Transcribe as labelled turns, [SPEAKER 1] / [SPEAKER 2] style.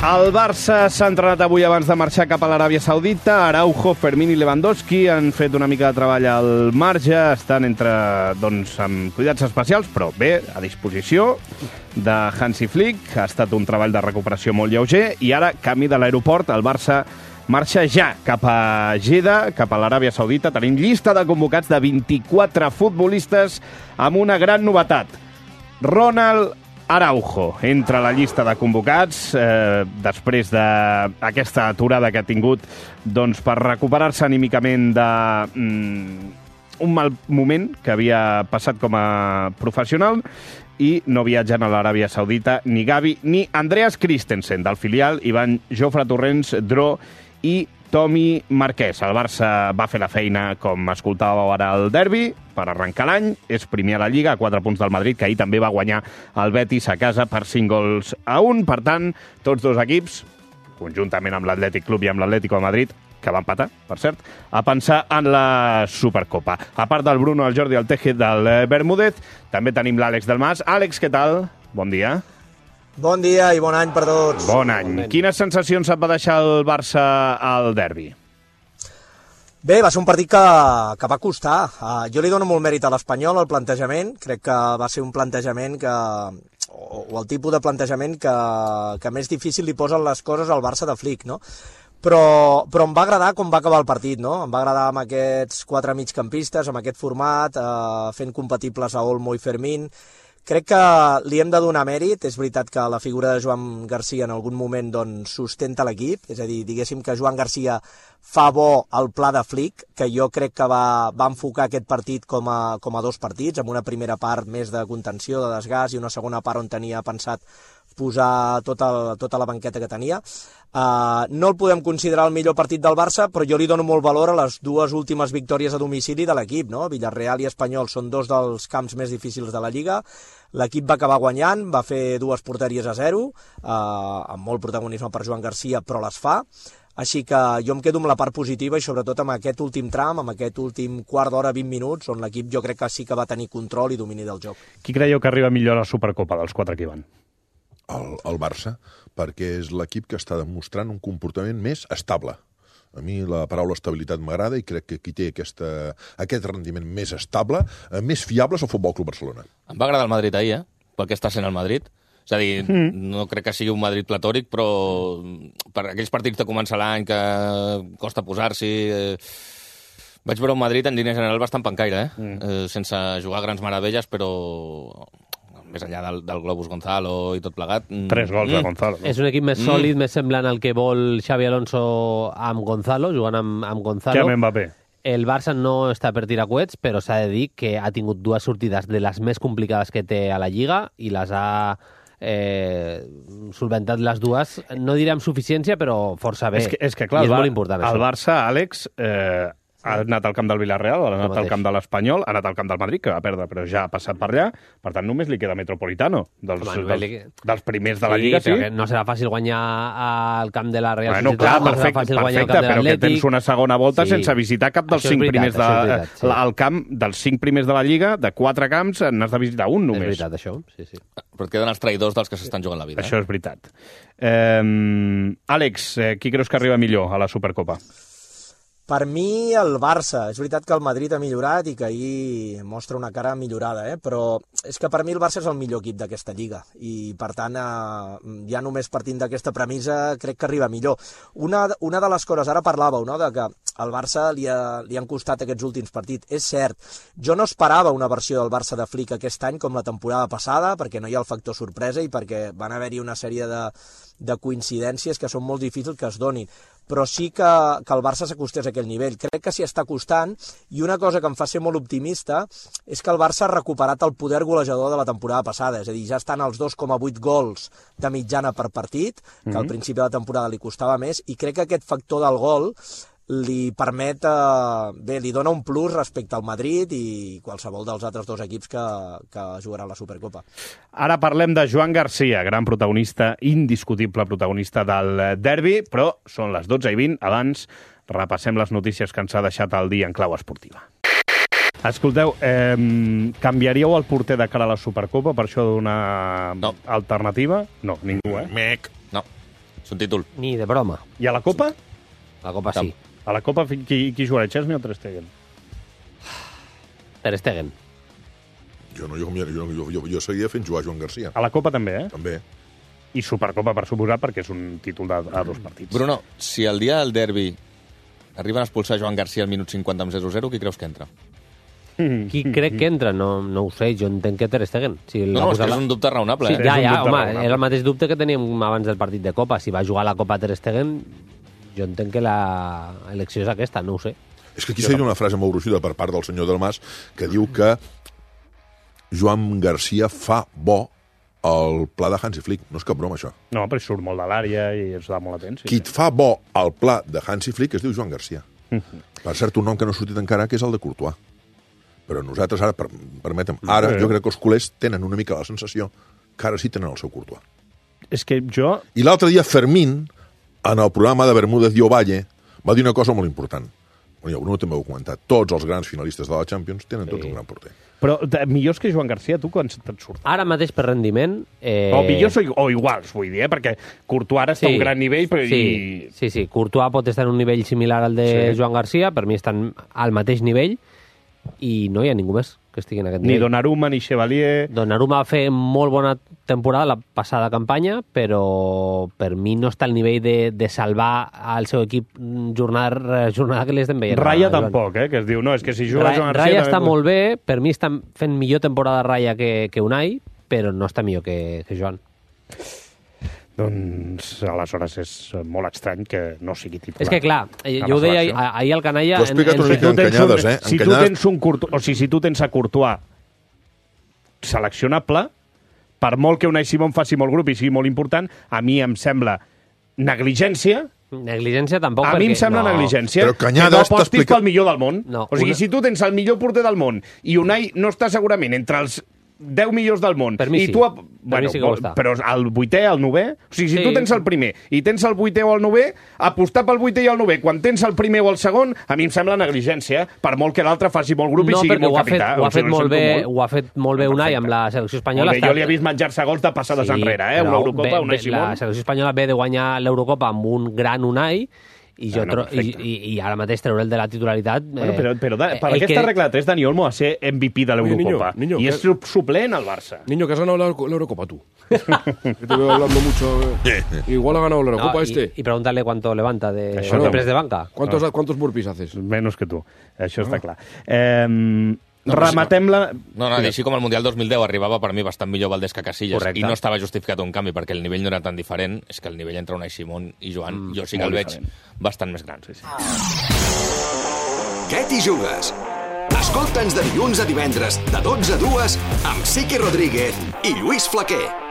[SPEAKER 1] El Barça s'ha entrenat avui abans de marxar cap a l'Aràbia Saudita. Araujo, Fermín i Lewandowski han fet una mica de treball al marge. Estan amb cuidats especials, però bé, a disposició de Hansi Flick. Ha estat un treball de recuperació molt lleuger i ara, camí de l'aeroport, el Barça marxa ja cap a Jeddah, cap a l'Aràbia Saudita. Tenim llista de convocats de 24 futbolistes amb una gran novetat. Ronald Araujo entra a la llista de convocats després d'aquesta aturada que ha tingut per recuperar-se anímicament d'un mal moment que havia passat com a professional i no viatgen a l'Aràbia Saudita ni Gavi ni Andreas Christensen, del filial, Ivan Jofre Torrents, Dro i Tomi Marquès. El Barça va fer la feina, com escoltàveu ara, al derbi, per arrencar l'any. És primer a la Lliga, a 4 punts del Madrid, que ahir també va guanyar el Betis a casa per 5-1. Per tant, tots dos equips, conjuntament amb l'Atlètic Club i amb l'Atlético de Madrid, que va empatar, per cert, a pensar en la Supercopa. A part del Bruno, el Jordi, el Teje, del Bermúdez, també tenim l'Àlex del Mas. Àlex, què tal? Bon dia.
[SPEAKER 2] Bon dia i bon any per tots.
[SPEAKER 1] Bon any. Quines sensacions et va deixar el Barça al derbi?
[SPEAKER 2] Bé, va ser un partit que va costar. Jo li dono molt mèrit a l'Espanyol, al plantejament. Crec que va ser un plantejament o el tipus de plantejament que més difícil li posen les coses al Barça de Flick, no? Però em va agradar com va acabar el partit, no? Em va agradar amb aquests 4 migcampistes, amb aquest format, fent compatibles a Olmo i Fermín. Crec que li hem de donar mèrit. És veritat que la figura de Joan Garcia en algun moment sustenta l'equip, és a dir, diguéssim que Joan Garcia fa bo el pla de Flick, que jo crec que va enfocar aquest partit com a 2 partits, amb una primera part més de contenció, de desgast, i una segona part on tenia pensat posar tota la banqueta que tenia. No el podem considerar el millor partit del Barça, però jo li dono molt valor a les 2 últimes victòries a domicili de l'equip, no? Villarreal i Espanyol són 2 dels camps més difícils de la Lliga. L'equip va acabar guanyant, va fer 2 porteries a 0, amb molt protagonisme per Joan Garcia, però les fa. Així que jo em quedo amb la part positiva i sobretot amb aquest últim tram, amb aquest últim quart d'hora, 20 minuts, on l'equip jo crec que sí que va tenir control i domini del joc.
[SPEAKER 1] Qui creieu que arriba millor a la Supercopa dels 4 que hi van?
[SPEAKER 3] El Barça, perquè és l'equip que està demostrant un comportament més estable. A mi la paraula estabilitat m'agrada i crec que qui té aquest rendiment més estable, més fiable, és el Futbol Club Barcelona.
[SPEAKER 4] Em va agradar el Madrid ahir, pel que està sent el Madrid. És a dir, no crec que sigui un Madrid platòric, però per aquells partits de començar l'any que costa posar-s'hi... Vaig veure un Madrid en línia general bastant pancaire, sense jugar grans meravelles, però... més enllà del Globus Gonzalo i tot plegat...
[SPEAKER 1] 3 gols de Gonzalo. No?
[SPEAKER 5] És un equip més sòlid, més semblant al que vol Xavi Alonso amb Gonzalo, jugant amb Gonzalo.
[SPEAKER 1] Que amb Mbappé.
[SPEAKER 5] El Barça no està per tirar coets, però s'ha de dir que ha tingut 2 sortides de les més complicades que té a la Lliga i les ha solventat les 2, no diré amb suficiència, però força bé.
[SPEAKER 1] És que clar,
[SPEAKER 5] i és molt important,
[SPEAKER 1] el
[SPEAKER 5] això.
[SPEAKER 1] Barça, Àlex... ha anat al camp del Villarreal, ha anat al camp de l'Espanyol, ha anat al camp del Madrid, que va perdre, però ja ha passat per allà. Per tant, només li queda Metropolitano. Dels primers de la Lliga, sí.
[SPEAKER 5] Però no serà fàcil guanyar al camp de la Real
[SPEAKER 1] Societat.
[SPEAKER 5] Clar,
[SPEAKER 1] no serà fàcil guanyar al camp de l'Atlètic. Però que tens una segona volta sense visitar cap dels 5 primers al camp dels 5 primers de la Lliga, de 4 camps, n'has de visitar un només.
[SPEAKER 5] És veritat, això, sí.
[SPEAKER 4] Però et queden els traïdors dels que s'estan jugant la vida.
[SPEAKER 1] Això és veritat. Àlex, qui creus que arriba millor a la Supercopa?
[SPEAKER 2] Per mi, el Barça. És veritat que el Madrid ha millorat i que ahir mostra una cara millorada, però és que per mi el Barça és el millor equip d'aquesta Lliga i, per tant, ja només partint d'aquesta premissa crec que arriba millor. Una de les coses, ara parlàveu, no?, de que al Barça li han costat aquests últims partits. És cert, jo no esperava una versió del Barça de Flick aquest any com la temporada passada, perquè no hi ha el factor sorpresa i perquè van haver-hi una sèrie de coincidències que són molt difícils que es donin, però sí que el Barça s'acostés a aquell nivell. Crec que s'hi està costant, i una cosa que em fa ser molt optimista és que el Barça ha recuperat el poder golejador de la temporada passada, és a dir, ja estan als 2,8 gols de mitjana per partit, que al principi de la temporada li costava més, i crec que aquest factor del gol li permet, li dona un plus respecte al Madrid i qualsevol dels altres 2 equips que jugaran la Supercopa.
[SPEAKER 1] Ara parlem de Joan Garcia, gran protagonista, indiscutible protagonista del derbi, però són les 12:20. Abans repassem les notícies que ens ha deixat el dia en clau esportiva. Escolteu, canviaríeu el porter de cara a la Supercopa per això d'una alternativa? No, ningú,
[SPEAKER 4] No. És un títol.
[SPEAKER 5] Ni de broma.
[SPEAKER 1] I a la Copa?
[SPEAKER 5] La Copa sí.
[SPEAKER 1] A la Copa qui jugarà, Chesney o Ter Stegen?
[SPEAKER 5] Ter Stegen.
[SPEAKER 3] Jo seguia fent jugar Joan Garcia.
[SPEAKER 1] A la Copa també, eh?
[SPEAKER 3] També.
[SPEAKER 1] I Supercopa, per suposar, perquè és un títol a 2 partits.
[SPEAKER 4] Bruno, si el dia del derbi arriben a expulsar Joan Garcia al minut 50 amb 0-0, qui creus que entra?
[SPEAKER 5] Qui crec que entra? No ho sé, jo entenc que Ter Stegen. Si
[SPEAKER 4] No, és que és un dubte raonable.
[SPEAKER 5] Sí,
[SPEAKER 4] Eh?
[SPEAKER 5] ja,
[SPEAKER 1] és un dubte
[SPEAKER 5] home,
[SPEAKER 1] raonable.
[SPEAKER 5] era el mateix dubte que teníem abans del partit de Copa. Si va jugar a la Copa Ter Stegen, jo entenc que l'elecció és aquesta, no ho sé.
[SPEAKER 3] És que aquí s'ha dit una frase molt gruixuda per part del senyor Delmas que diu que Joan Garcia fa bo el pla de Hansi Flick. No és cap broma, això.
[SPEAKER 1] No, però surt molt de l'àrea i es da molt atent. Sí.
[SPEAKER 3] Qui et fa bo el pla de Hansi Flick es diu Joan Garcia. Per cert, un nom que no ha sortit encara, que és el de Courtois. Però nosaltres ara, permetem, ara jo crec que els culers tenen una mica la sensació que ara sí tenen el seu Courtois.
[SPEAKER 1] És que jo...
[SPEAKER 3] I l'altre dia Fermín, en el programa de Bermúdez i Ovalle, va dir una cosa molt important. Bueno, Bruno també ho ha comentat. Tots els grans finalistes de la Champions tenen tots un gran porter.
[SPEAKER 1] Però millors que Joan Garcia, tu quan te'n surt?
[SPEAKER 5] Ara mateix per rendiment...
[SPEAKER 1] O millors o iguals, vull dir, perquè Courtois ara està a un gran nivell, però...
[SPEAKER 5] Sí. Courtois pot estar en un nivell similar al de Joan Garcia, per mi estan al mateix nivell, i no hi ha ningú més que estigui en aquest
[SPEAKER 1] Ni
[SPEAKER 5] nivell.
[SPEAKER 1] Donnarumma, ni Chevalier...
[SPEAKER 5] Donnarumma va fer molt bona temporada la passada campanya, però per mi no està al nivell de salvar al seu equip jornada que li estem veient.
[SPEAKER 1] Raya tampoc, que es diu, no, és que si juga Joan Garcia...
[SPEAKER 5] Raya està molt bé, per mi està fent millor temporada Raya que Unai, però no està millor que Joan.
[SPEAKER 1] Doncs aleshores és molt estrany que no sigui titular.
[SPEAKER 5] És que clar, jo ho deia ahir al Canalla...
[SPEAKER 3] T'ho he explicat una mica encanyades, eh?
[SPEAKER 1] Si tu tens un Courtois, o sigui, si tu tens a Courtois seleccionable, per molt que Unai Simón faci molt grup i sigui molt important, a mi em sembla negligència.
[SPEAKER 5] Negligència tampoc,
[SPEAKER 1] a mi em sembla negligència
[SPEAKER 3] Però
[SPEAKER 1] que
[SPEAKER 3] Cañadas
[SPEAKER 1] no apostis
[SPEAKER 3] t'explica-
[SPEAKER 1] pel millor del món.
[SPEAKER 5] No,
[SPEAKER 1] o sigui, si tu tens el millor porter del món i Unai no està segurament entre els 10 millors del món.
[SPEAKER 5] Per mi
[SPEAKER 1] I
[SPEAKER 5] sí.
[SPEAKER 1] tu,
[SPEAKER 5] Per mi sí que ho està.
[SPEAKER 1] però el 8è, el 9è... O sigui, si
[SPEAKER 5] Sí.
[SPEAKER 1] tu tens el primer i tens el 8è o el 9è, apostar pel 8è i el 9è quan tens el primer o el segon, a mi em sembla negligència, per molt que l'altre faci molt grup i sigui molt capità.
[SPEAKER 5] ho ha fet molt bé Unai amb la selecció espanyola.
[SPEAKER 1] Jo li he vist menjar-se gols de passades enrere, una Eurocopa, Unai Simón.
[SPEAKER 5] La selecció espanyola ve de guanyar l'Eurocopa amb un gran Unai, i ara mateix treure el de la titularitat...
[SPEAKER 1] Bueno, però per aquesta regla de 3, Dani Olmo va ser MVP de l'Eurocopa.
[SPEAKER 6] Niño,
[SPEAKER 1] y es suplent al Barça.
[SPEAKER 6] Niño, que has ganado la Eurocopa tú. Que te veo hablando mucho. Igual ha ganado la Eurocopa
[SPEAKER 5] Y pregúntale cuánto levanta de
[SPEAKER 1] Això no.
[SPEAKER 5] de banca.
[SPEAKER 6] ¿Cuántos burpees haces?
[SPEAKER 1] Menos que tu. Això està clar. Rematem la...
[SPEAKER 4] No, així com el Mundial 2010 arribava per mi bastant millor Valdés que Casillas.
[SPEAKER 1] Correcte.
[SPEAKER 4] I no estava justificat un canvi perquè el nivell no era tan diferent. És que el nivell entre Unai Simón i Joan, jo sí que el veig bastant més gran. Sí.
[SPEAKER 7] Què t'hi jugues? Escolta'ns de dilluns a divendres, de 12 a 2, amb Siqui Rodríguez i Lluís Flaquer.